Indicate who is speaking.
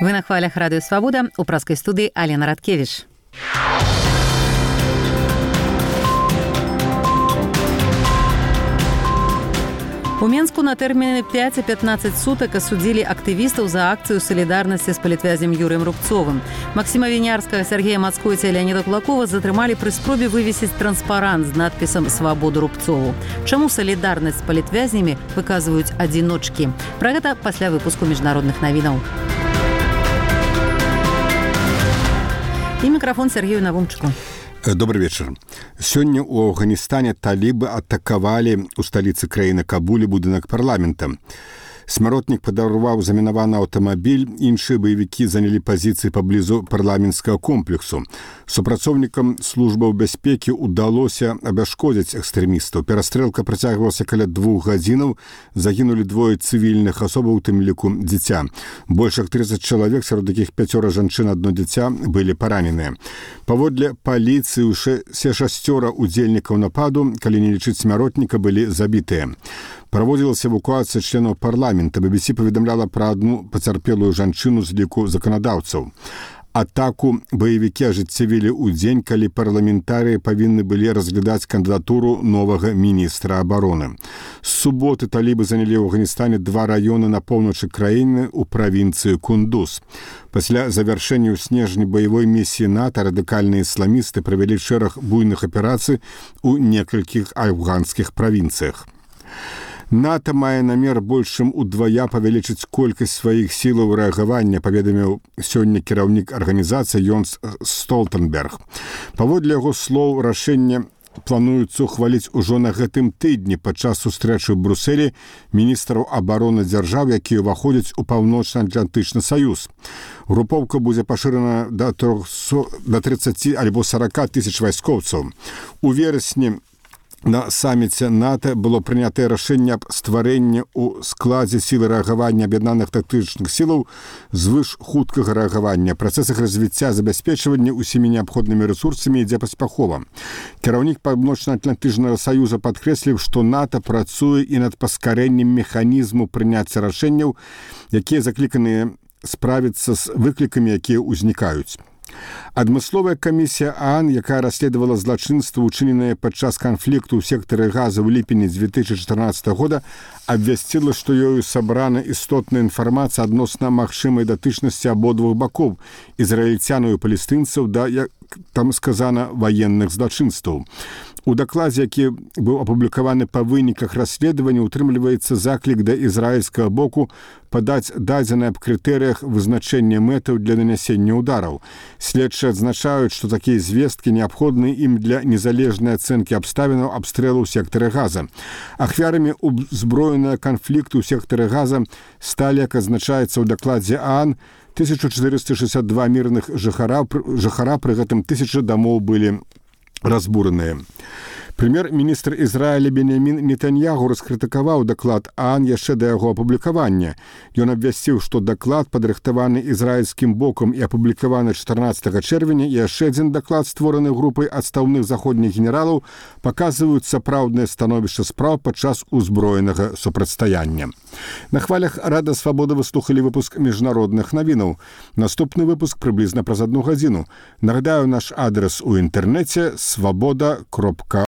Speaker 1: Вы на хвалях Радыё Свабода, у праскай студыі Алена Радкевіч. У Менску на тэрміне 5 і 15 сутак асудзілі актывістаў за акцыю салідарнасці з палітвязем Юрыем Рубцовым. Максіма Вінярскага, Сергея Мацкойца і Леаніда Кулакова затрымалі пры спробе вывесіць транспарант з надпісам «Свабоду Рубцову». Чаму салідарнасць з палітвязнямі выказваюць адзіночкі? Пра гэта пасля выпуску міжнародных навінаў. І мікрафон Сергею Навумчыку.
Speaker 2: Добрый вечер. Сёння у Афганістане талібы атакавалі ў сталіцы краіны Кабулі будынак парламента. Смяротнік падарваў замінаваны аўтамабіль, іншыя баевікі занялі пазіцыі паблізу парламенцкага комплексу. Супрацоўнікам службаў бяспекі ўдалося абяшкодзіць экстрэмістаў. Перастрэлка працягвалася каля 2 гадзінаў, загінулі 2 цывільных асобаў, у тым ліку дзіця. Больш як 30 чалавек, сярод якіх 5 жанчын, 1 дзіця, былі параненыя. Паводле паліцыі ўсе 6 удзельнікаў нападу, калі не лічыць смяротніка, былі забітыя. Праводзілася эвакуацыя членаў парламента. BBC паведамляла пра адну пацярпелую жанчыну з ліку заканадаўцаў. Атаку баевікі ажыццявілі ў дзень, калі парламентарыі павінны былі разглядаць кандыдатуру новага міністра абароны. З суботы талібы занялі ў Афганістане 2 раёны на поўначы краіны ў правінцыі Кундуз. Пасля завяршэння ў снежні баявой місіі НАТО радыкальныя ісламісты правялі шэраг буйных аперацый у некалькіх афганскіх правінцыях. НАТО мае намер больш чым удвая павялічыць колькасць сваіх сілаў рэагавання, паведаміў сёння кіраўнік арганізацыі Йонс Столтенберг. Паводле яго слоў, рашэнне плануецца ухваліць ужо на гэтым тыдні падчас сустрэчы ў Брусэлі міністраў абароны дзяржаў, якія ўваходзяць у Паўночна-Атлантычны саюз. Групоўка будзе пашырана да 30 альбо 40 тысяч вайскоўцаў. У верасні на саміце НАТО было прынятае рашэнне аб стварэнні ў складзе сілы рэагавання аб'яднаных тактычных сілаў звыш хуткага рэагавання. Працэс іх развіцця забяспечвання ўсімі неабходнымі рэсурсамі ідзе паспяхова. Кіраўнік Паўночна-Атлантычнага саюза падкрэсліў, што НАТО працуе і над паскарэннем механізму прыняцця рашэнняў, якія закліканыя справіцца з выклікамі, якія ўзнікаюць. Адмысловая камісія ААН, якая расследавала злачынства, учыненае падчас канфлікту ў сектары Газа ў ліпені 2014 года, абвясціла, што ёю сабрана істотная інфармацыя адносна магчымай датычнасці абодвух бакоў, ізраільцянаў і палестынцаў, да, як там сказана, ваенных злачынстваў. У дакладзе, які быў апублікаваны па выніках расследавання, утрымліваецца заклік да ізраільскага боку падаць дадзеныя аб крытэрыях вызначэння мэтаў для нанясення ўдараў. Следчыя адзначаюць, што такія звесткі неабходны ім для незалежнай ацэнкі абставінаў абстрэлу ў сектары Газа. Ахвярамі узброенага канфлікту ў сектары Газа сталі, як адзначаецца ў дакладзе ААН, 1462 мірных жыхара, пры гэтым 1000 дамоў былі разбураныя. Прэм'ер-міністр Ізраіля Беньямін Нетаньягу раскрытыкаваў даклад ААН яшчэ да яго апублікавання. Ён абвясціў, што даклад, падрыхтаваны ізраільскім бокам і апублікаваны 14 чэрвеня, і яшчэ адзін даклад, створаны групай адстаўных заходніх генералаў, паказваюць сапраўднае становішча спраў падчас узброенага супрацьстаяння. На хвалях Рада Свабода вы слухалі выпуск міжнародных навінаў. Наступны выпуск прыблізна праз 1 гадзіну. Нагадаю, наш адрес у інтэрнэце свабода.org.